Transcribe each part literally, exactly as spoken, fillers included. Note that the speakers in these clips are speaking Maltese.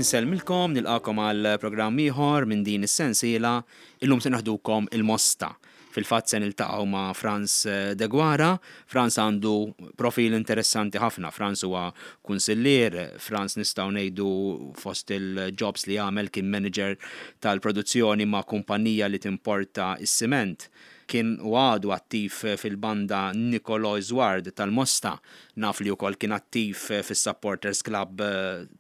Insellmilkom, nilqagħkom għal programm ieħor minn din is-sensiela. Illum se naħdukom il-Mosta. Fil-fatt se niltaqgħu ma' Frans Deguara. Frans għandu profil interessanti ħafna. Frans huwa kunsillier, Frans nistgħu ngħidu fost il-jobs li għamel kien manager tal-produzzjoni ma' kumpanija li timporta is-siment. Kien u għadu attiv fil-banda Nicolo Zward tal-Mosta. Naf li wkoll kien attiv fis-Supporters Club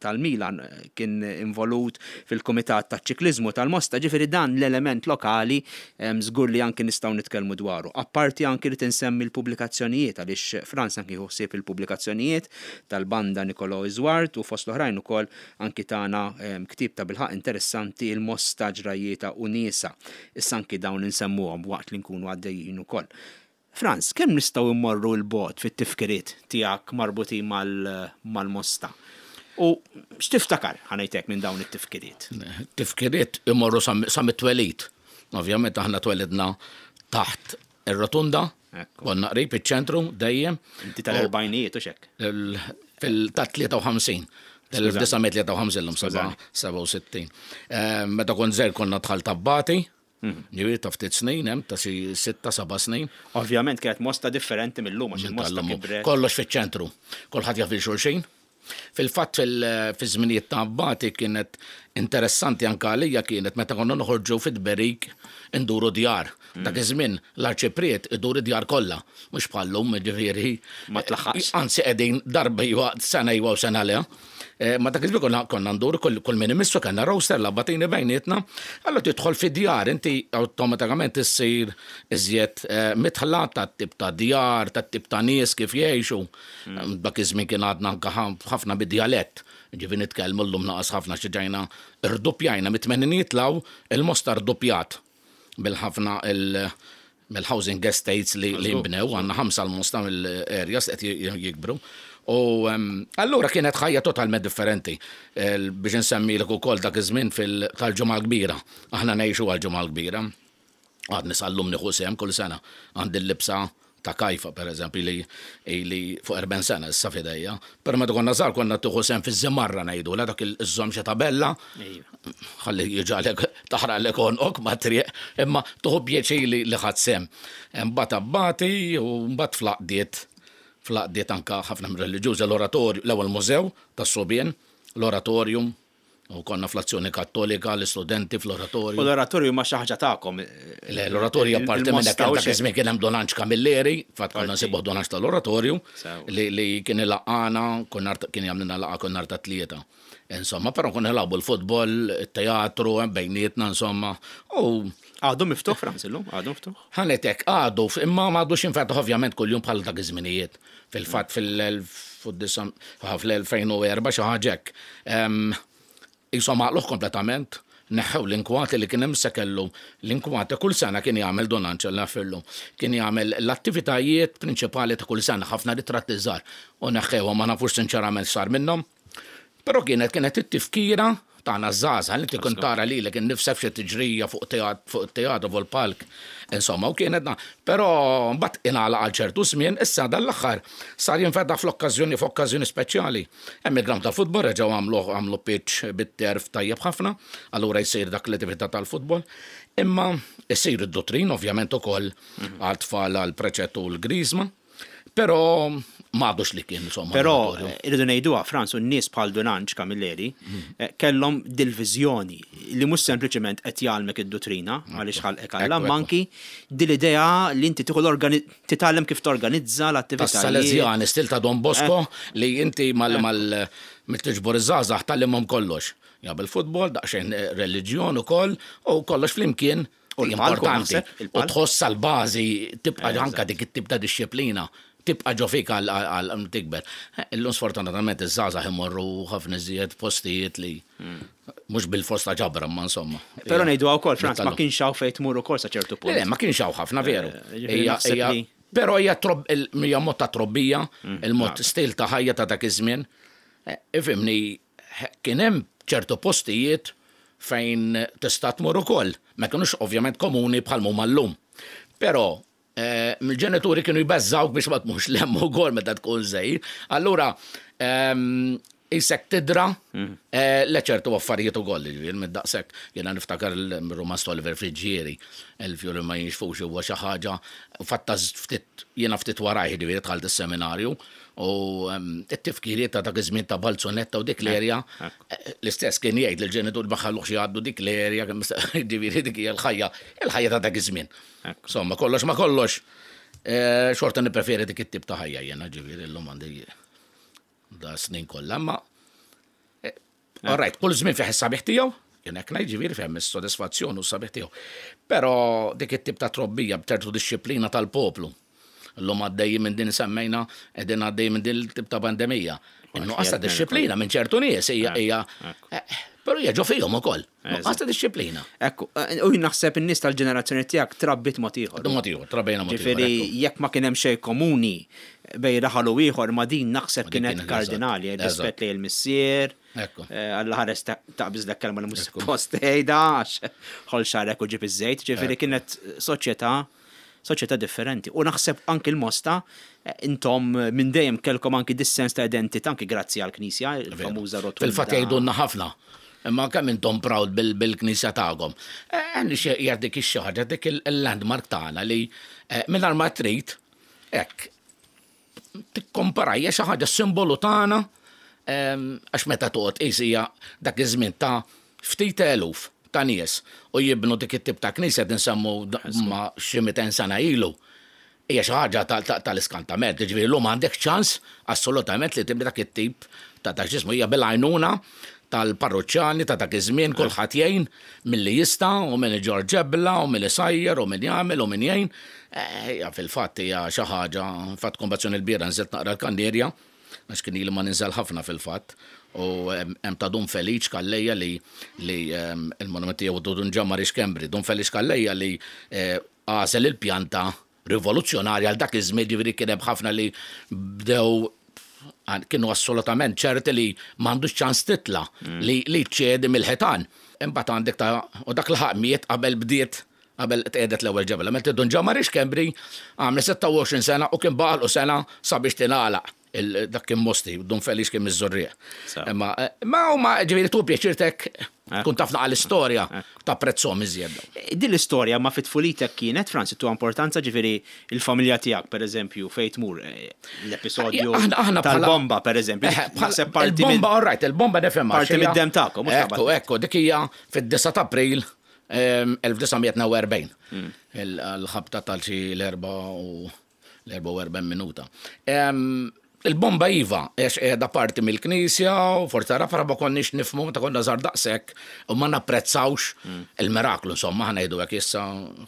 tal-Milan, kien involut fil-Kumitat taċ-Ċikliżmu tal-Mosta, ġifieri dan l-element lokali żgur li anki nistgħu nitkellmu dwaru. Apparti anki rrid insemmi l-pubblikazzjonijiet, għaliex Frans anki jieħu ħsieb il-pubblikazzjonijiet tal-banda Nicolo Zward u fost l-oħrajn ukoll anki tana ktieb ta' bilħaq interessanti, Il-Mosta ġrajjietha u niesha. Issa anki dawn insemmuhom waqt li nkunu għaddejjin ukoll. Frans, kemm nistgħu immorru 'l bogħod fit-tifkiriet tiegħek marbutin mal-Mosta? U x'tiftakar, ħa ngħidlek, minn dawn it-tifkiriet? Tifkiriet imorru sa mit-twelid. Ovvjament aħna twelidna taħt ir-rotunda, konna qrib iċ-ċentru dejjem. Inti tal-erbgħinijiet u xek? Ta' tlieta u ħamsin. Tal-elf disa' mija tlieta u ħamsin, l-lum sebgħa u sittin. Meta kont żgħir konna dħalt Abbati, ġifieri ta' ftit snin, hemm ta' xi sitta, seba' snin. Ovvjament kienet Mosta differenti mill-lum għax il-Mosta kibret. Kollox fiċ-ċentru. Kulħadd jaf xulxin. Fil-fatt fil-żminijiet ta' Abbati kienet interessanti anke għalija, kienet meta konna noħorġu fit-tberik induru djar. Dak iż-żmien l-arċipriet idur id-djar kollha, mhux bħallum, ġifieri. Ma tlaħħaqx. Anzi, qegħdin darba iwa, sena iwa u sena le. Ma dak iż-żmien konna konna nduru kull min imissu, kellna roster l-abbatini bejnietna. Allora tidħol fi djar, inti awtomatikament issir iżjed midħla tat-tip ta' djar, tat-tip ta' nies kif jgħixu. Dak iż-żmien kien għadna anke ħafna bid-djalett. Ġifieri nitkellmu, llum naqas ħafna, xi ġajna rduppjajna mit-tmeninijiet 'l hawn, il-Mosta rduppjat bil-ħafna mill-housing estates li li nbnew, għandna ħamsa l-Mosta mill-areas qed jikbru. U allura kienet ħajja totalment differenti. Biex insemmilek ukoll dak iż-żmien tal-Ġimgħa l-Kbira. Aħna ngħixu għall-Ġimgħa l-Kbira. Għadni sal-lum nieħu sehem kull sena. Għandi l-libsa ta' Kajfa, per eżempju, li li fuq erbgħin sena issa f'idejja. Però meta konna żgħar konna tieħu sehem fiż-żimarra ngħidu, la dak iż-żomm xi tabella, ħalli jiġalek taħraqlek għonqok ma' triq, imma tieħu pjaċir li li ħadt sehem. Mbagħad abbati u mbagħad fl-għaqdiet, fl-għaqdiet anka ħafna mir-reliġjużi, l-oratorju, l-ewwel mużew tas-subien, l-oratorium, u konna fl-Azzjoni Kattolika, l-istudenti fl-oratorju. U l-oratorju ma xi ħaġa tagħkom. Le, l-oratorju apparti minn hekk, dak iż-żmien kien hemm Don Anġ Camilleri, fatt konna nsibuh Don Anġ tal-oratorju, li li kien ilaqqana, kien jagħmlilna laqgħa kull nhar ta' Tlieta. Insomma, però konna nilagħbu l-futbol, it-teatru, bejnietna, insomma. U Għadu miftuħ, Frans, illum? Għadu miftuħ? Ħa ngħidlek, għadu, imma m'għadux jinfetaħ ovvjament kuljum bħal dak iż-żminijiet. Fil-fatt fil-elfejn u erba' xi ħaġa hekk. Insomma, għalquh kompletament, neħħew l-inkwati li kien hemm, se kellu l-inkwati kull sena kien jagħmel Don Anġel nafillu. Kien jagħmel l-attivitajiet prinċipali ta' kull sena, ħafna ritratti żgħar. U neħħewhom, ma nafux sinċerament sar minnhom. Però kienet kienet it-tifkira tagħna żgħażagħ li tkun tara lilek innifsek xi tiġrija fuq fuq teatru, fuq il-palk. Insomma, u kienet na. Però mbagħad ingħalaq għal ċertu żmien, issa dan l-aħħar sar jinfetaħ fl-okkażjoni f'okkażjoni speċjali. Hemm il-ground tal-futbol, reġgħu għamlu għamlu pitch bit-turf tajjeb ħafna, allura jsir dak l-attività tal-futbol. Imma jsir id-dotrin ovvjament ukoll għal tfal, għal preċettu u l-griżma. Però m'għadux li kien, insomma. Però l-oratorju. Irridu ngħiduha, Frans, u n-nies bħal Don Anġ Camilleri eh, kellhom dil-viżjoni li mhux sempliċement qed jgħallmek id-dottrina għaliex ħalqek Alla, Ekku, ma anki dil-idea li inti tieħu l-organi titgħallem kif torganizza l-attivitajiet. Tas-Salesjani, stil ta' Don Bosco, li inti mal mal mill-tiġbor iż-żgħażagħ tgħallimhom kollox. Ja bil-futbol, daqsxejn reliġjon ukoll, u kollox flimkien. U l-palku, Importanti. naħseb, U il-palk. tħoss għal-bażi tibqa' anka dik it-tip ta' disċiplina tibqa' ġo fik għal għal tikber. Illum sfortunatament iż-żgħażagħ imorru ħafna iżjed postijiet li mhux bil-fors ta' ġabra, ma insomma. Però ngħidu wkoll, Frans, ma Nittallu. kienx hawn fejn tmur ukoll sa ċertu punt. Le, le, ma kienx hawn ħafna, veru. Eh, ġifieri Hija- naħseb hija- li- Però hija trob- il- hija mod ta' trobbija, il-mod stil ta' ħajja ta' dak iż-żmien. Eh, Ifhimni, kien hemm ċertu postijiet fejn tista' tmur ukoll. Ma kinux ovvjament komuni bħal huma llum. Però eh, mill-ġenituri kienu jbeżżawk biex ma tmurx 'l hemm ukoll meta tkun żgħir. Allura ehm, Isek tidra eh, le ċertu affarijiet ukoll, ġifieri minn daqshekk jiena niftakar il-rumanz ta' Oliver Friggieri, Il-fjuri ma jinxfux, huwa xi ħaġa fatta ftit jiena ftit warajh, ġifieri dħalt is-seminarju u em, it-tifkiriet ta' dak iż-żmien ta' Balzunetta u dik l-erja, eh, l-istess kien jgħid lill-ġenitur ma ħalluhx jgħaddu dik l-erja, ġifieri dik hija l-ħajja, il-ħajja ta' dak iż-żmien. Insomma, kollox ma kollox, eh, xorta nippreferi dik it-tip ta' ħajja jiena, ġifieri llum għandi da snin kollha, ma all right, kull żmien fih is-sabiħ tiegħu, jien hekk ngħid, ġifieri fih is-sodisfazzjon u s-sabiħ tiegħu. Però dik it-tip ta' trobbija b'ċertu dixxiplina tal-poplu. Illum għaddejjin minn din, semmejna, qegħdin għaddejjin minn din il-tip ta' pandemija. Nuqqas ta' dixxiplina minn ċertu nies hija hija eh, però hija ġo fihom ukoll. Nuqqas ta' dixxiplina. Ekku, eh, u jien naħseb in-nies tal-ġenerazzjoni tiegħek trabbit mod ieħor. Mod ieħor, trabbejna mod ieħor. Ġifieri ekku. Jekk ma kien hemm xejn komuni bejn raħal u ieħor ma din naħseb Ma din kienet kienet kardinali, eżatt. rispett lejn il-missier. Ekku. eh, Alla ħares ta- taqbiż dak kelma li mhux suppost tgħidha għax ħol xarek u ġib iż-żejt, ġifieri kienet soċjetà soċjetà differenti. U naħseb anki l-Mosta, eh, intom minn dejjem kellkom anki dis-sens ta' identità anki grazzi għall-Knisja, il-famuża rotunda. Fil-fatt jgħidulna ħafna. Imma kemm intom proud bil- bil-knisja tagħkom. Għandi xi hija dik ix ħaġa, dik il-landmark tagħna li eh, mingħajr ma trid hekk tikkompara, hija xi ħaġa simbolu tagħna em, għax meta toqgħod qisija dak iż-żmien ta' ftit eluf ta' nies u jibnu dik it-tip ta' knisja tinsemmu ma' xi mitejn sena ilu. Hija xi ħaġa tal-iskantament, ġifieri llum għandek ċans assolutament li tibni dak it-tip ta' dak ġismu hija bil-għajnuna tal-parruċċani ta' dak iż-żmien, kulħadd jgħin milli jista' u min iġorr ġebla u min isajjer u min jagħmel u min jgħin. Hija fil-fatt hija xi ħaġa, fatt kombazzjoni l-biera nżilt naqra l-Kannierja, għax kien ili ma ninżel ħafna fil-fatt. U hemm ta' Dun Feliċ Calleja li li il-monument tiegħu Dun Ġammari Schembri, Dun Feliċ Calleja li għażel il-pjanta rivoluzzjonarja għal dak iż-żmien, ġifieri kien hemm ħafna li bdew kienu assolutament ċerti li m'għandux ċans titla li li ċedi mill-ħitan. Imbagħad għandek ta' u dak l-ħaq miet qabel bdiet qabel tqedet l-ewwel ġebla. Meta Dun Ġammari Schembri għamel sitta u għoxrin sena u kien baqgħu sena sabiex tingħalaq. Dak kien Mosti, Dun Felix kien miż-Żurrieq. Imma ma huma ġifieri tu pjaċirtek tkun taf naqra l-istorja, tapprezzhom iżjed. Din l-istorja ma fit-tfulitek kienet, Franz, tu importanza, ġifieri il-familja tiegħek, per eżempju, fejn tmur eh, l-episodju tal-bomba, per eżempju. Il-bomba, all right, il-bomba nifhimha. Parti mid-dem tagħkom. Ekku, ekku, dik hija fid-disgħa ta' April elf disa' mija u tnejn u erbgħin. Il-ħabta tal-xi l-erba u l-erbgħa u erbgħin minuta. Il-bomba iva, għax qiegħda parti mill-knisja u forsi tara ma konniex nifhmu ta' konna żgħar daqshekk u ma napprezzawx il-miraklu, insomma, ħa ngħidu hekk. Issa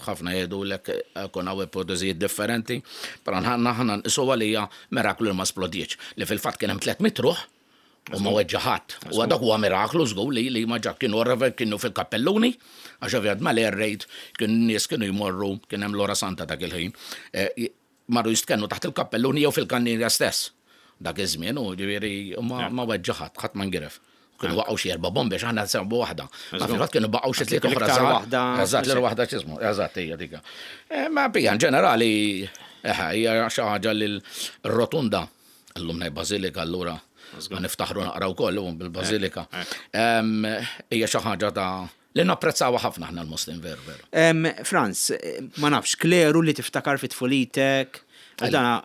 ħafna jgħidu lek kun hawn ipoteżijiet differenti, però ħana ħana nqisu għalija miraklu li ma splodietx, li fil-fatt kien hemm tliet mitt ruħ u ma weġġa' ħadd. U dak huwa miraklu żgur li li ma ġa kienu kienu fil-kappelluni, għax ovvjament mal-air raid kienu nies kienu jmorru, kien hemm l-ora santa dak il-ħin, marru jistkennu taħt il-kappelluni jew fil-kannierja stess. Dak iż-żmien u ġifieri ma weġġa' ħadd, ħadd ma ngiref. Kienu waqgħu xi erba' bombi għax aħna nsemmu waħda. Ma fil-fatt kienu baqgħu xi tliet oħra L-iktar żgħar. waħda. Eżatt, l waħda x'ismu, eżatt hija dika. Eh, Ma bija in ġenerali eħe, hija xi ħaġa li l-rotunda, llum ngħid bażilika allura ma niftaħru naqra wkoll bil-bażilika. Em, Hija xi ħaġa ta' li napprezzawha ħafna aħna l-Muslim, veru veru. Em, Franz, eh, ma nafx, kleru li tiftakar fit tfulitek, dana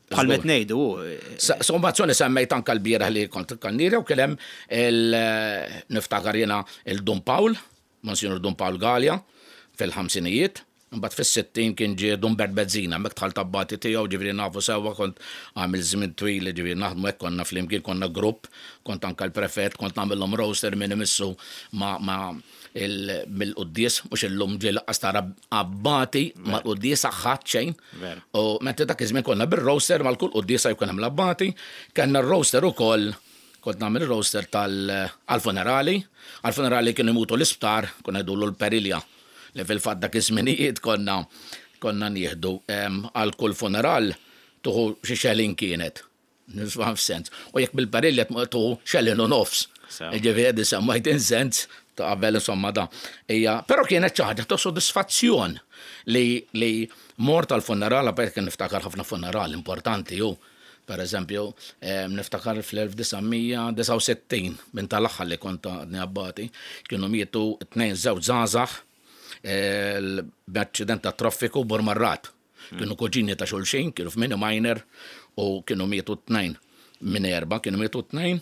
bħal met ngħidu, eh, Sommazzjoni semmejt anka l-bieraħ li kont kannira u kien hemm il niftakar jiena il-Dun Pawl, Monsignor Dun Pawl Gallia, fil-ħamsinijiet. Mbagħad fis-sittin kien ġie Dun Bert Bezzina, mek dħalt abbati tiegħu, ġifieri nafu sewwa, kont għamil żmien twil ġifieri naħdmu hekk, konna flimkien, konna grupp, kont anka l-prefett, kont nagħmilhom roster minn imissu ma ma il- mill-quddies, mhux illum ġie laqqas tara abbati mal-quddies ħadd xejn. Veru. U meta dak iż-żmien konna bir-roster mal-kull quddiesa jkun hemm l-abbati, kellna r-roster ukoll, kont nagħmel ir-roster tal-funerali, għal-funerali kienu jmutu l-isptar, konna jgħidulu l-perilja, li fil-fatt dak iż-żminijiet konna konna nieħdu em, għal kull funeral tuħu xi xelin kienet. Nisma' f'sens. U jekk bil-perilja tuħu xelin u nofs. Sew. Ġifieri semmajt in sens ta' qabel insomma da. Ija, però kienet xi ħaġa ta' sodisfazzjon li li mort tal-funeral, perché niftakar ħafna funeral importanti ju. Per eżempju, niftakar fl-elf disa' mija disgħa u sittin minn tal-aħħar li kont għadni abbati, kienu mietu tnejn żewġ żgħażagħ b'aċċident ta' traffiku Burmarrad. Kienu kuġini ta' xulxin, kienu f'mini minor u kienu mietu tnejn minn erba', kienu mietu tnejn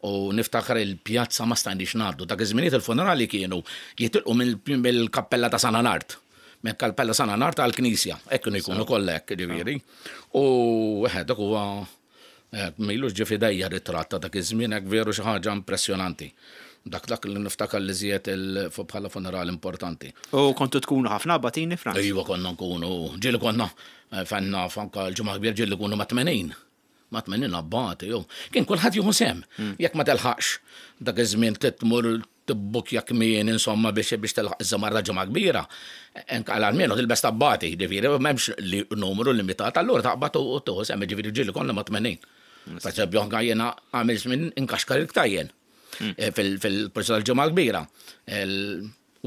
u niftakar il-pjazza ma stajniex ngħaddu. Dak iż-żminijiet il-funerali kienu jitilqu mill-kappella ta' San Anart. Minn kappella San Anart għall-knisja, hekk kienu jkunu kollha hekk, ġifieri. U eħe, dak huwa m'ilux ġie f'idejja ritratt ta' dak iż-żmien hekk veru xi ħaġa impressjonanti. Dak dak li niftakar li żied bħala funeral importanti. U kontu tkunu ħafna abbatini, Franz? Iva, konna nkunu, ġieli konna fenna fanka l-ġimgħa kbir ġieli kunu ma' tmenin. Ma' tmenin abbati, jew. Kien kulħadd jieħu sehem. Jekk ma telħaqx dak iż-żmien tmur tibbukja kmien, insomma, biex, biex telħaq iż-żamar ta' ġimgħa kbira. Enka għal almenu tilbes tabbati, ġifieri, m'hemmx li numru limitat, allura taqbad u tieħu sehem, ġifieri ġieli konna ma' tmenin. Per eżempju, anka jiena għamil żmien inkaxkar il-ktajjen fil-proċess tal-ġimgħa kbira.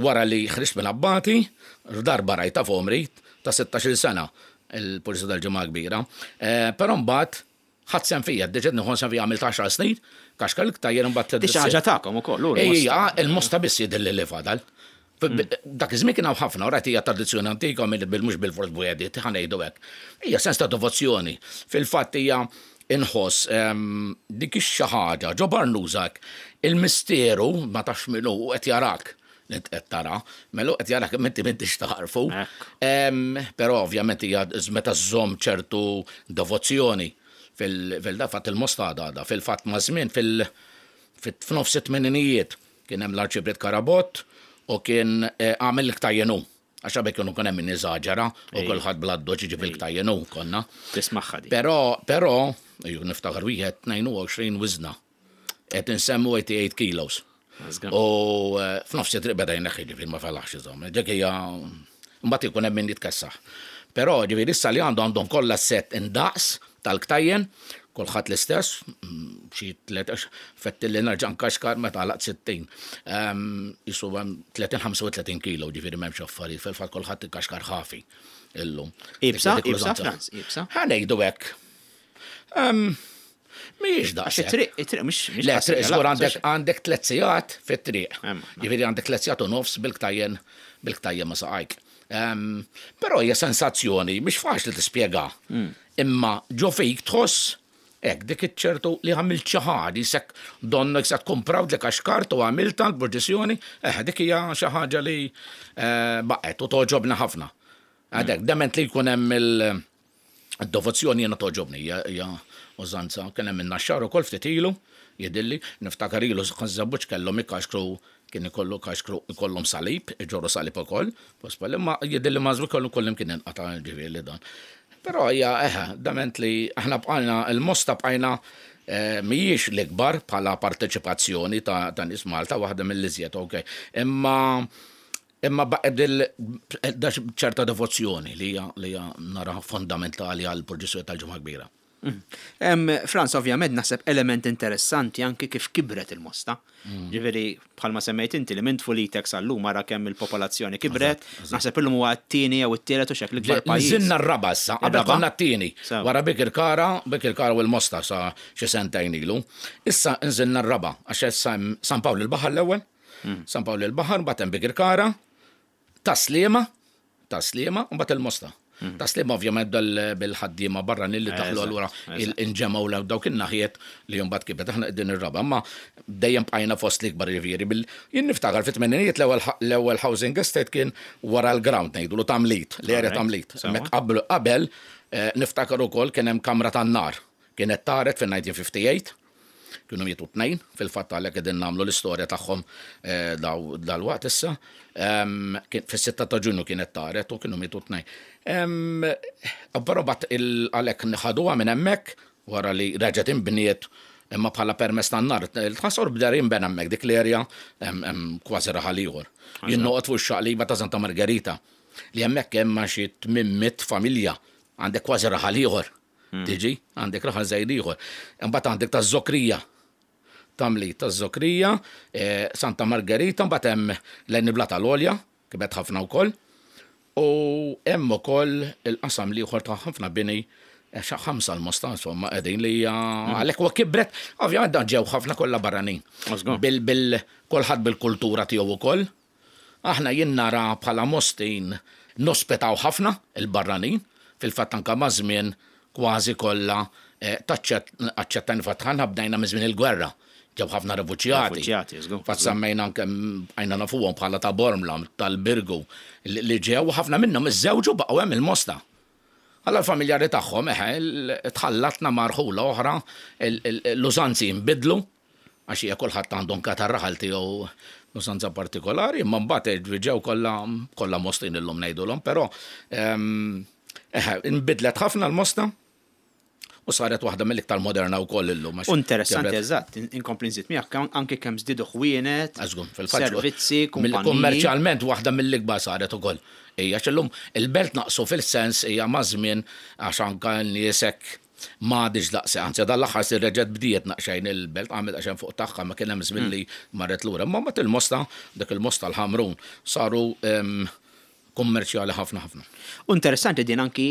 Wara li ħriġt minn abbati, darba rajta f'għomri ta' sittax-il sena il-pulizija tal-ġimgħa kbira. Però mbagħad ħadd sehem fija, diġà nieħu sehem fija għamilt għaxar snin, kaxkar il-ktajjen mbagħad Di xi ħaġa tagħkom ukoll, hu l-Mosta. Ejja, il-Mosta biss jidher li fadal. Dak iż-żmien kien hawn ħafna, u rajt hija tradizzjoni antika minn mhux bil-fors bwediet, ħa ngħidu hekk. Hija sens ta' devozzjoni. Fil-fatt hija inħoss dik xi ħaġa ġo Barnużak, il-misteru ma tafx min hu qed jarak. Li qed tara, mela qed jarak inti m'intix taħarfu. Però ovvjament hija meta żżomm ċertu devozzjoni fil-fatt il-Mosta għadha, fil-fatt ma' żmien f'nofs it-tmeninijiet kien hemm l-Arċipriet Karabott u kien għamel il-ktajjen hu. Għax qabel kienu kien hemm min iżaġera u kulħadd bla doċ jiġi bil-ktajjen hu konna. Tismagħha di. Però, però, ju niftakar wieħed tnejn u għoxrin wiżna. Qed insemmu eighty-eight kilos. U f'nofs it-triq beda jneħħi, ġifieri ma felaħx iżomm. Dik hija mbagħad ikun hemm min jitkessaħ. Però ġifieri issa li għandu għandhom kollha set indaqs tal-ktajjen, kulħadd l-istess, xi tliet, fetti li nerġa' nkaxkar meta għalaq sittin. Jisu hemm tletin, ħamsa u tletin kilo, ġifieri m'hemmx affarijiet, fil-fatt kulħadd ikkaxkar ħafi illum. Ibsa, Dik ibsa, l-użanza. Franz, ibsa. Ħa ngħidu hekk. Mhijiex daqshekk. Għax it-triq, it-triq mhix, mhix Le, qasira, triq żgur la, għandek, mhux għandek tliet sigħat fit-triq. Hemm, hemm. Ġifieri għandek tliet sigħat u nofs bil-ktajjen, bil-ktajjen ma saqajk. Però hija sensazzjoni mhix faċli tispjega. Imma ġo fik tħoss hekk dik iċ-ċertu li għamilt xi ħaġa, jisek donnok se tkun proud li kaxkart u għamilta l-proċessjoni, eh, dik hija xi ħaġa li baqgħet u toġobna ħafna. Għadek, dement li jkun hemm il-devozzjoni jiena toġobni, hija, hija użanza. Kien hemm in-Naxxar ukoll ftit ilu, jidilli, niftakar ilu Ħaż-Żebbuġ kellhom ikaxkru, kien ikollu kaxkru ikollhom salib, iġorru salib ukoll, pospel, imma jidilli mażwi kollu kollim kien inqata' ġifieri dan. Però hija, eħe, dament li aħna bqajna, il-Mosta bqajna mhijiex l-ikbar bħala parteċipazzjoni ta', ta' nies Malta, waħda mill-iżjed, ok. Imma imma baqgħet dil-, da ċerta devozzjoni li hija, li hija nara fondamentali għall proċessjoni tal-Ġimgħa Kbira. Em, Franz, ovvjament naħseb element interessanti anki kif kibret il-Mosta. Ġifieri, bħalma semmejt inti li minn tfulitek sal-lum ara kemm il-popolazzjoni kibret, naħseb illum huwa t-tieni jew it-tielet u xek l-ikbar pajjiż. Nżilna r-raba' issa, qabel Ir-raba'? konna t-tieni. Sew. Wara Birkirkara, Birkirkara u l-Mosta sa xi sentejn ilu. Issa nżilna r-raba' għax issa hemm San Pawl il-Baħar l-ewwel, San Pawl il-Baħar, mbagħad hemm Birkirkara, Tas-Sliema, Tas-Sliema, u mbagħad il-Mosta. Tas-Sliema ovvjament bil-ħaddiema barranin li daħlu Eżatt, allura eżatt. inġemgħu l dawk in-naħiet li mbagħad kibet aħna qegħdin ir-raba', imma dejjem bqajna fost l-ikbar ġifieri bil jien niftakar fit-tmeninijiet l-ewwel ħa-, l-ewwel housing estate kien wara l-ground ngħidulu Tamlit, l-area Alright, Tamlit. sewa. Hemmhekk qabel, qabel, eh, niftakar ukoll kien hemm kamra tan-nar. Kienet taret fin-nineteen fifty-eight, kienu mietu tnejn, fil-fatt għalhekk qegħdin nagħmlu l-istorja tagħhom, eh, daw-, dal-waqt issa. Em, kien, fis-sitta ta' Ġunju kienet taret u kienu mietu tnejn. Em, però bat il-, għalhekk nħaduha minn hemmhekk wara li reġgħet inbniet imma bħala permess tan-nar. Il-ħasor bder jinbena hemmhekk dik l-erja hemm, hemm kważi raħal ieħor. Eżatt. Jien noqgħod fuq ix-xaqliba ta' Santa Margherita li hemmhekk hemm xi tmien mitt familja, għandek kważi raħal ieħor. Hmm. Tiġi, għandek raħal żgħir ieħor. Imbagħad għandek taż-Żokrija. Tamli taż-Żokrija, eh, Santa Margherita, mbagħad hemm l-Enibla tal-Olja, kibet ħafna wkoll. U hemm ukoll il-qasam l-ieħor ta' ħafna bini Xa ħamsa l-Mosta, insomma, qegħdin li hija għalhekk huwa kibret, ovvjament dan ġew ħafna kollha barranin. Żgur. Bil bil kulħadd bil-kultura tiegħu ukoll. Aħna jien nara bħala Mostin nospitaw ħafna il-barranin, fil-fatt anka maż-żmien kważi kollha eh, taċċett aċċettajna fatt ħana bdejna minn żmien il-gwerra. Ġew ħafna refuġjati. Refuġjati, żgur. Fatt semmejna anke għajna nafuhom bħala ta' Bormla, tal-Birgu, li li ġew ħafna minnhom iżżewġu baqgħu hemm il-Mosta. Alla l-familjari tagħhom eħe, il- tħallatna ma' rħula oħra, il- il- l-użanzi jinbidlu, għax hija kulħadd għandhom katar raħal tiegħu l-użanza partikolari, imma mbagħad ġew kollha kollha Mostin illum ngħidulhom, però ehm, eħe, inbidlet ħafna l-Mosta u saret waħda mill-iktar moderna wkoll illum. għax U Interessanti, kibret. eżatt, in- inkompli nżid miegħek anke kemm żdiedu ħwienet, Għażgur, fil-fatt. servizzi, kumpaniji. Kummerċjalment waħda mill-ikbar saret ukoll. Hija x'illum il-belt naqsu fil-sens hija maż-żmien għax anka n-nies hekk m'għadix daqse, anzi dal-aħħar si reġgħet bdiet naqxejn il-belt għamil għaxen fuq tagħha ma kien hemm żmien li marret lura. Imma mbagħad il-Mosta, dik il-Mosta l-Ħamrun saru em, kummerċjali ħafna ħafna. U interessanti din anki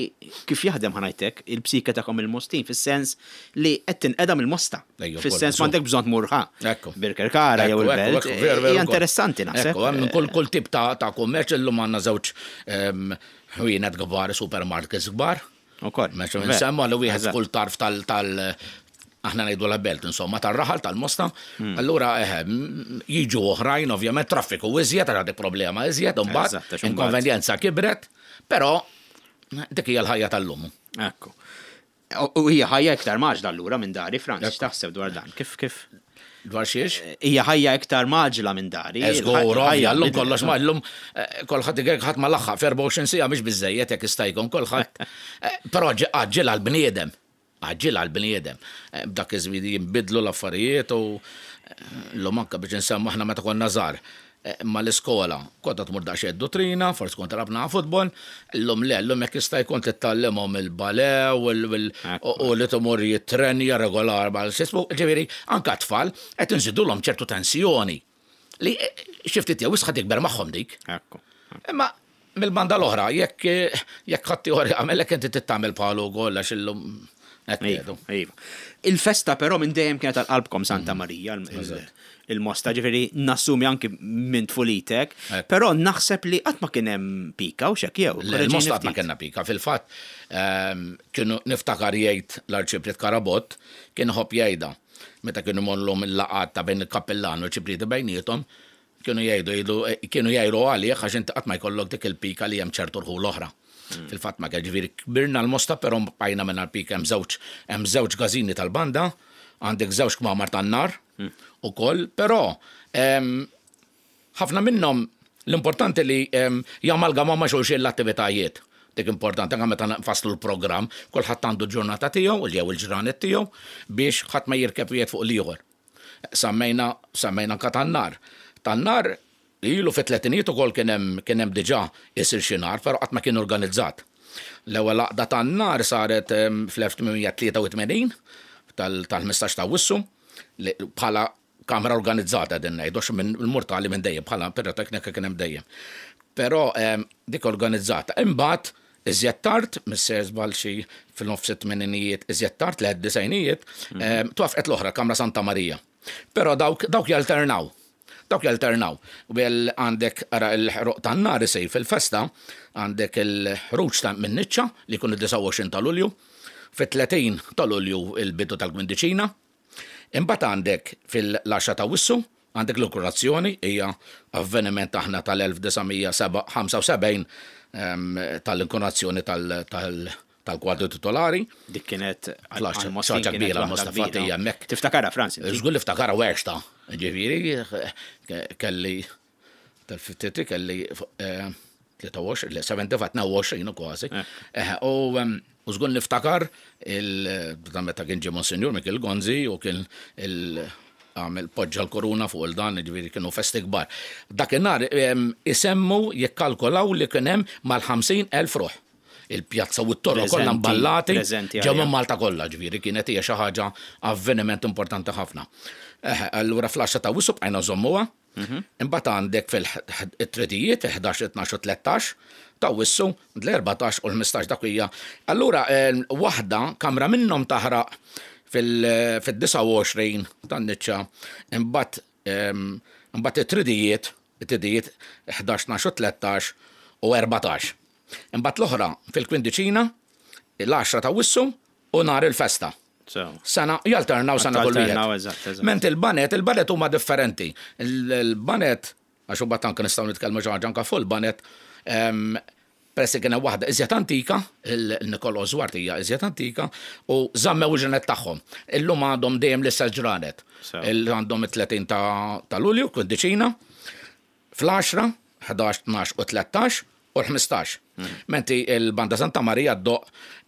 kif jaħdem ħa ngħidlek il-psika tagħkom il-Mostin, fis-sens li qed tinqeda mill-Mosta. Ejja, Fis-sens ukoll, m'għandek bżonn tmur ħa. Ekku. Birkirkara jew Ekku, ekku, il-belt. ekku, veru, veru Hija ukoll. interessanti naħseb. Ekku, hemm kull kull tip ta' ta' kummerċ illum għandna żewġ em, ħwienet kbar, supermarkets kbar. Ukoll. Meċu Ver. nsemmu li wieħed Eżatt. kull tarf tal tal aħna ngħidu la belt, insomma, tar-raħal tal-Mosta. Hmm. Allura eħe, m- jiġu oħrajn, ovvjament, traffiku iżjed, għal dik problema iżjed, Eżatt, imbagħad għax imbagħad- inkonvenjenza kibret, però dik hija l-ħajja tal-lum. Ekku. U u hija ħajja iktar mgħaġġla allura minn dari, Franz, x'taħseb dwar dan? Kif kif? Dwar xiex? Hija ħajja iktar mgħaġġla minn dari. Eżgur, Il-ħajja ovvja, llum bidlet, kollox ma llum eh, kulħadd igek ħadd ma laħħaq f'erbgħa u għoxrin siegħa mhix biżejjed jekk jista' jkun kulħadd. Eh, Però għaġġel għall-bniedem. Għaġġel għall-bniedem. Eh, B'dak iż-żmien jinbidlu l-affarijiet u eh, llum anke biex insemmu aħna meta konna żgħar. eh, Ma l-iskola, kont tmur daqsxejn dottrina, forsi kont rabna futbol, llum le, llum jekk jista' jkun titgħallimhom il-ballet u l- u u li tmur jittrenja regolar mal xismu, ġifieri anke tfal qed inżidulhom ċertu tensjoni li eh, xi ftit jew wisq tikber magħhom dik. Ekku. Imma mill-banda l-oħra, jekk jekk ħadd ieħor jagħmel inti tittamel bħalu wkoll għax illum qed Iva, ngħidu. iva. Il-festa però minn dejjem kienet għal qalbkom Santa Marija, il- il- il-Mosta, ġifieri nassumi anki minn tfulitek, Ekku. però naħseb li qatt ma kien hemm pika u xek jew. Il-Mosta ma kellna pika. Fil-fatt, ehm, kienu niftakar jgħid l-Arċipriet Karabott, kien ħobb jgħidha. Meta kienu mollhom il-laqat ta' bejn il-kappellan u l-ċiprieti bejniethom, kienu jgħidu jgħidu kienu jgħidu għalih għax inti qatt ma jkollok dik il-pika li hemm ċertu rħul oħra. Fil-fatt ma kien ġifieri kbirna l-Mosta, però bqajna minn l-pika hemm żewġ hemm żewġ każini tal-banda, għandek żewġ kmamar tan-nar ukoll, però ehm, ħafna minnhom l-importanti li em, jamalgamaw ma' xulxin l-attivitajiet. Dik importanti, anke meta nfasslu l-programm, kulħadd għandu ġurnata tiegħu, jew il-ġranet tiegħu, biex ħadd ma jirkeb wieħed fuq l-ieħor. Semmejna, semmejna anke tan-nar. Tan-nar ilu fit-tletinijiet ukoll kien hemm kien hemm diġà isir xi nar, però qatt ma kien organizzat. L-ewwel għaqda tan-nar saret em, fl-elf tmien mija tlieta u tmenin tal-ħmistax ta' Awwissu li bħala kamra organizzata din ngħidu għax minn il-mortali minn dejjem bħala piroteknika kien hemm dejjem. Però em, dik organizzata. Imbagħad iżjed tard, misser żball xi fil-nofs it-tmeninijiet, iżjed tard l disgħinijiet, em, twafqet l-oħra Kamra Santa Marija. Però dawk dawk jalternaw. Dawk jalternaw. Well għandek ara il-ħruq tan-nar isir fil-festa, għandek il-ħruġ ta' minn niċċa li jkun id-disgħa u għoxrin ta' Lulju, fit-tletin ta' Lulju il-bidu tal-Gwindiċina. Imbagħad għandek fil-għaxra ta' Awwissu, għandek l-inkoronazzjoni, hija avveniment aħna tal-elf disa' mija ħamsa u sebgħin em, tal-inkoronazzjoni tal- tal- tal-kwadru titolari. Dik kienet Flash, għal-Mostin ħaġa kienet kbira waħda l-Mosta kbira. Fatija hemmhekk. Tiftakarha, Franz, inti? Żgur li ftakara werxta. Ġifieri, kelli tal-fittiti kelli eh, tlieta u għoxrin, le, sebgħa u sebgħin, tnejn u għoxrin u kważi. Eh, U em, u żgur niftakar il dan meta kien ġie Monsinjur Mikiel Gonzi u kien il għamel poġġa l-koruna fuq il-dan, ġifieri kienu festi kbar. Dakinhar em, isemmu jikkalkolaw li kien hemm mal-ħamsin elf ruħ. Il-pjazza u t-torro kollha Preżenti, mballati preżenti ġew għalija. minn Malta kollha, ġifieri kienet hija xi ħaġa avveniment importanti ħafna. Eh, allura fl-għaxra ta' Awwissu bqajna nżommuha. Imbagħad għandek fil-tridijiet, ħdax, tnax u tlettax, t'Awwissu, l-erbatax u l-ħmistax dak hija. Allura, waħda, kamra minnhom taħraq fil-disgħa u għoxrin tan-niċċa, imbagħad imbagħad it-tridijiet, it-tridijiet ħdax, tnax u tlettax u erbatax. Imbagħad l-oħra fil-kwindiċina, l-għaxra t'Awwissu u nhar il-festa. Sena jalternaw sena kull wieħed. Ment il-banet, il-banet huma differenti. Il-banet, għax u anke nistgħu nitkellmu xi ħaġa anke fuq il-banet, peress li kien hemm waħda iżjed antika, il-Nikolo Zwart hija iżjed antika, u żammew il-ġranet tagħhom. Illum għandhom dejjem l-istess ġranet. Għandhom it-tletin ta' Lulju, kwindiċina, fl-għaxra, ħdax, tnax u tlettax u l-ħmistax. Menti il-Banda Santa Maria ddoq,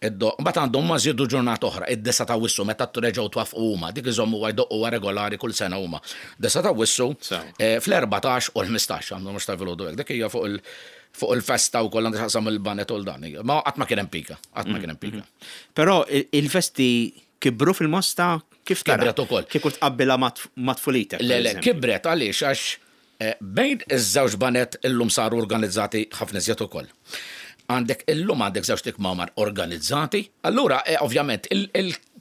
id-doq, mbagħad għandhom ma żiedu ġurnata oħra, id-disgħa t'Awwissu meta reġgħu twaffqu huma, dik iżommu jdoqqu regolari kull sena huma. Disgħa t'Awwissu fl-erbatax u l-ħmistax, għandhom mhux ta' filgħodu hekk, dik hija fuq il- fuq il-festa u kollha xaqsam il-banet u l-dan. Ma qatt ma kien hemm pika, qatt ma kien hemm pika. Però il-festi kibru fil-Mosta kif tara? Kibret ukoll. Kieku tqabbilha ma' tfulitek. Le, le, kibret għaliex għax bejn iż-żewġ banet illum saru organizzati ħafna iżjed ukoll. Għandek illum għandek żewġ tikmamar organizzati, allura ovvjament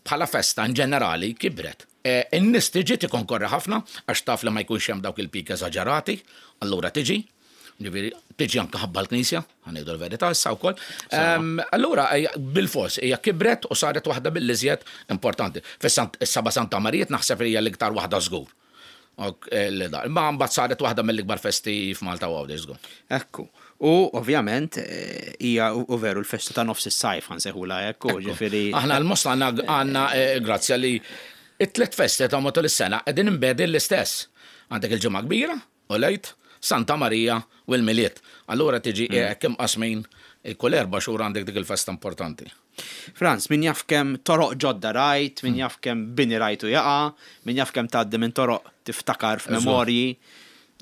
bħala festa in ġenerali kibret. In-nies tiġi tikkonkorri ħafna għax taf li ma jkunx hemm dawk il-pika eżaġerati, allura tiġi. Ġifieri, tiġi anke ħabba l-knisja, ħanejdu l-verità issa wkoll. Allura bil-fors hija kibret u saret waħda mill-iżjed importanti. Fis-Saba Santa Marija naħseb li hija l-iktar waħda żgur. Ma mbagħad saret waħda mill-ikbar festi f'Malta u Għawdex żgur. Ekku. U ovvjament hija u veru l-festa ta' nofs is-sajf ħansejħulha hekk, ġifieri. Aħna l-Mosta għandna grazzja li it-tliet festi ta' matul is-sena qegħdin imbegħdin l-istess. Għandek il-Ġimgħa Kbira u l-Għid, Santa Marija u l-Milied. Allura tiġi kemm qasmin kull erba' xhur għandek dik il-festa importanti. Frans, min jaf kemm toroq ġodda rajt, min jaf kemm bini rajtu jaqa', min jaf kemm tgħaddi minn toroq tiftakar f'memorji.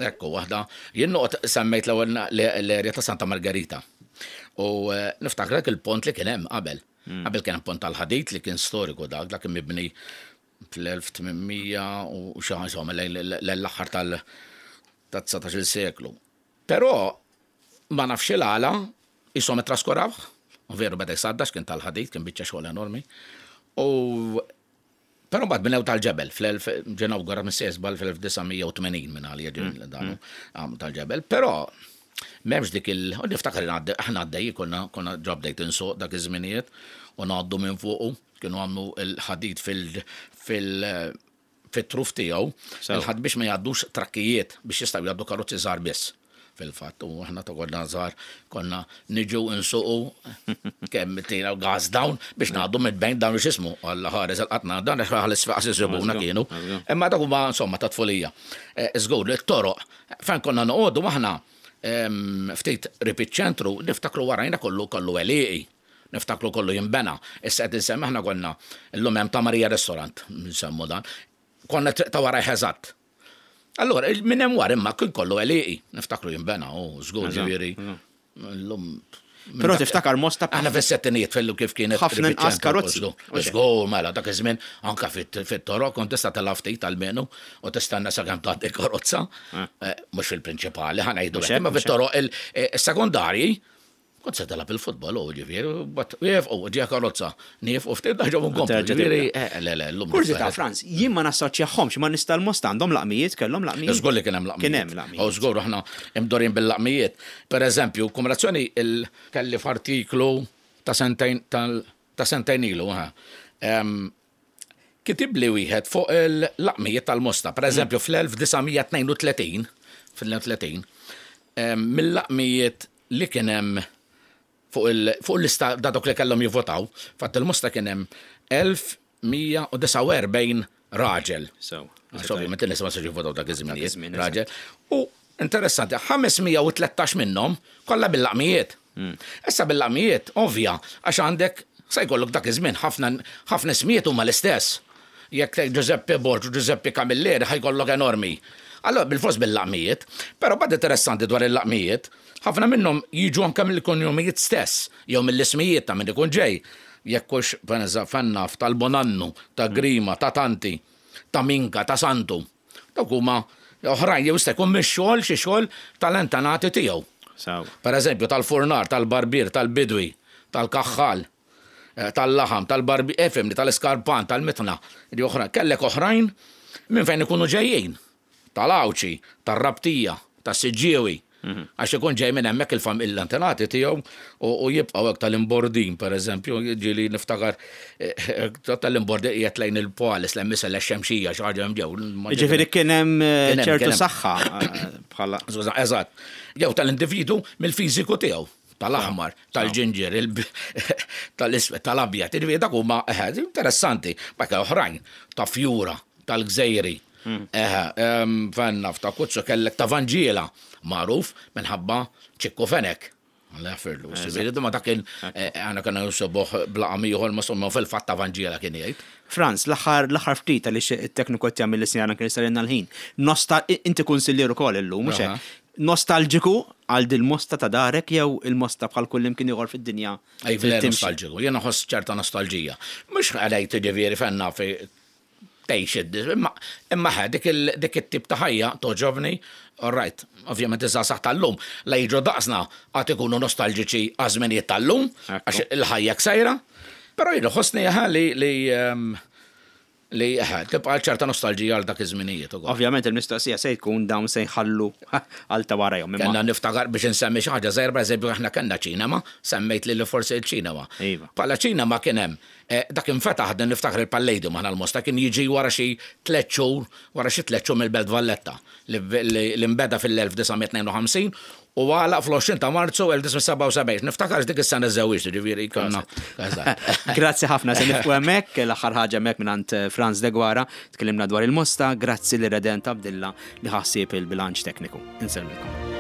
Ekku, waħda. Jien noqgħod semmejt l-ewwel l-erja ta' Santa Margherita. U niftakar il-pont li kien hemm qabel. Qabel kien hemm pont tal-ħadid li kien storiku dak, dak kien mibni fl-elf tmien mija u xi ħaġa, insomma, l-aħħar tal- ta' dsatax-il seklu. Però ma nafx il-għala jisom traskurawh, u veru beda jsaddax kien tal-ħadid, kien biċċa xogħol enormi. U però mbagħad bnew tal-ġebel fl-elf ġenaw għara minn sesbal fl-elf disa' mija u tmenin minn għalija ġen danu għam tal-ġebel. Però m'hemmx dik il-, u niftakar li aħna għaddej, konna, konna ġa bdejt insuq dak iż-żminijiet u ngħaddu minn fuqu, kienu għamlu l-ħadid fil-, fil-, fit-truf tiegħu, il-ħadd biex ma jgħaddux trakkijiet biex jistgħu jgħaddu karozzi żgħar biss. Fil-fatt, u aħna ta' konna żgħar konna niġu insuqu kemm tina gas down biex ngħaddu minn bejn dawn x'ismu. Alla ħares il-qatna dan għax ħares faqas isibuna kienu. Imma dak huma insomma ta' tfulija. Żgur li t-toroq fejn konna noqogħdu aħna ftit qrib iċ-ċentru niftakru warajna kollu kollu għelieqi. Niftakru kollu jinbena. Issa qed insemmi aħna konna llum hemm ta' Marija Restaurant, nsemmu dan. Konna triq ta' wara eżatt. Allora, minn hemm wara imma kien kollu għelieqi, niftakru jinbena, u żgur ġifieri. Llum Però tiftakar Mosta Aħna fis-settinijiet fellu kif kienet ħafna qrib inqas iċ-ċentru, karozzi. żgur. Żgur, mela, dak iż-żmien anke fit-toroq kont tista' tilgħab ftit almenu u tistenna sakemm tgħaddi karozza. Mhux fil-prinċipali, ħa ngħidu hekk, imma fit-toroq il-sekondarji kont se tilgħab il-futbol, u ġifieri, bat jef, u ġie karozza, nief u ftit daħġu nkomplu, Terġa' ġifieri, tibda. eh, le, le, llum Kurżità, differenti. Frans, jien ma nassoċjahomx, ma nista' l-Mosta għandhom laqmijiet, kellhom laqmijiet? Żgur li kien hemm laqmijiet. Kien hemm laqmijiet. U żgur aħna imdorin bil-laqmijiet. Per eżempju, kumulazzjoni il kelli f'artiklu ta' sentejn tal ta' sentejn ilu, ha. Em, kitib li wieħed fuq il-laqmijiet tal-Mosta. Per eżempju, fl-elf disa' mija tnejn u tletin, fil-tnejn u tletin, em, mill-laqmijiet li kien hemm fuq il-, fuq l-lista da dawk li kellhom jivvotaw, fatt il-Mosta kien hemm elf mija u disgħa u erbgħin raġel. So, Għax ovvjament in-nies ma setgħux jivvotaw dak iż-żminijiet, Dak iż-żmien, raġel. U interessanti, ħames mija u tlettax minnhom kollha bil-laqmijiet. Mm. Issa bil-laqmijiet, ovvja, għax għandek se jkollok dak iż-żmien ħafna, ħafna ismijiet huma l-istess. Jekk tgħid Giuseppe Borg u Giuseppe Camilleri ħajkollok enormi. Allora bil-fors bil-laqmijiet, però bad interessanti dwar il-laqmijiet, ħafna minnhom jiġu anke mill-konjumijiet stess, jew mill-ismijiet ta' min ikun ġej. Jekk hux fennaf tal-Bonannu, ta' Grima, ta' Tanti, ta' Minka, ta' Santu. Dawk huma Oħrajn jew jista' jkun mix-xogħol xi xogħol tal-antenati tiegħu. Per eżempju, tal-furnar, tal-barbier, tal-bidwi, tal-kaħħal, eh, tal-laħam, tal-barbier, efimni, tal-iskarpan, tal-mitna. Li oħra, kellek oħrajn minn fejn ikunu ġejjin. Tal-Awċi, tar-Rabtija, tas-Siġġiewi. Għax ikun ġej minn hemmhekk il-familja l-antenati tiegħu u jibqgħu hekk tal-imbordin, pereżempju, ġieli niftakar eh, eh, tal-imbordin qiegħed lejn il-Polis, l misel xemxija xi ħaġa hemm ġew. Ġifieri kien hemm eh, ċertu saħħa bħala. Eżatt. Jew tal-individu mill-fiżiku tiegħu tal-aħmar, tal-ġinġer, tal-iswed, tal-abjad, ġifieri dak huma interessanti, bakka oħrajn, ta' fjura, tal-gżejri. Eħe, fenna f'ta' kuzzu kellek ta' Vanġiela, magħruf minħabba Ċikku Fenek. Alla jaffirlu. Ġifieri ma dak kien għana kena nsibuh b'laqam ieħor ma somma fil-fatt ta' Vanġiela kien jgħid. Franz, l-aħħar l-aħħar ftit għaliex it-tekniku qed jagħmel li kien jistalilna l-ħin. Nosta inti kunsillier ukoll illum, mhux hekk? Nostalġiku għal dil-mosta ta' darek jew il-mosta bħal kull imkien ieħor fid-dinja? Ej, nostalġiku, jiena nħoss ċerta nostalġija. Mhux għalejt ġifieri fenna fi tgħix imma imma dik dik it-tip ta' ħajja toġobni, all right, ovvjament iż-żgħażagħ tal-lum la jiġu daqsna għad ikunu nostalġiċi għaż-żminijiet tal-lum, għax il-ħajja ksejra, però jien ħossni li li li tibqa' ċerta nostalġija għal dak iż-żminijiet ukoll. Ovvjament il-mistoqsija se jkun dawn se jħallu għal ta' warajhom. Kellna niftakar biex insemmi xi ħaġa żgħira, pereżempju aħna kellna ċinema, semmejt li forsi il-ċinema. Iva. Bħala ċinema kien hemm dak infetaħ din niftakar il-Palladium aħna l-Mosta kien jiġi wara xi tliet xhur, wara xi tliet xhur mill-Belt Valletta li nbeda fil-elf disa' mitt tnejn u ħamsin u għalaq fl-għoxrin ta' Marzu elf disa' mitt sebgħa u sebgħin. Niftakar dik is-sena żewġ, ġifieri konna. Grazzi ħafna, se nifqu hemmhekk, l-aħħar ħaġa hemmhekk mingħand Franz Deguara, tkellimna dwar il-Mosta, grazzi li Redent Abdilla li ħassieb il-bilanċ tekniku. Insellmilkom.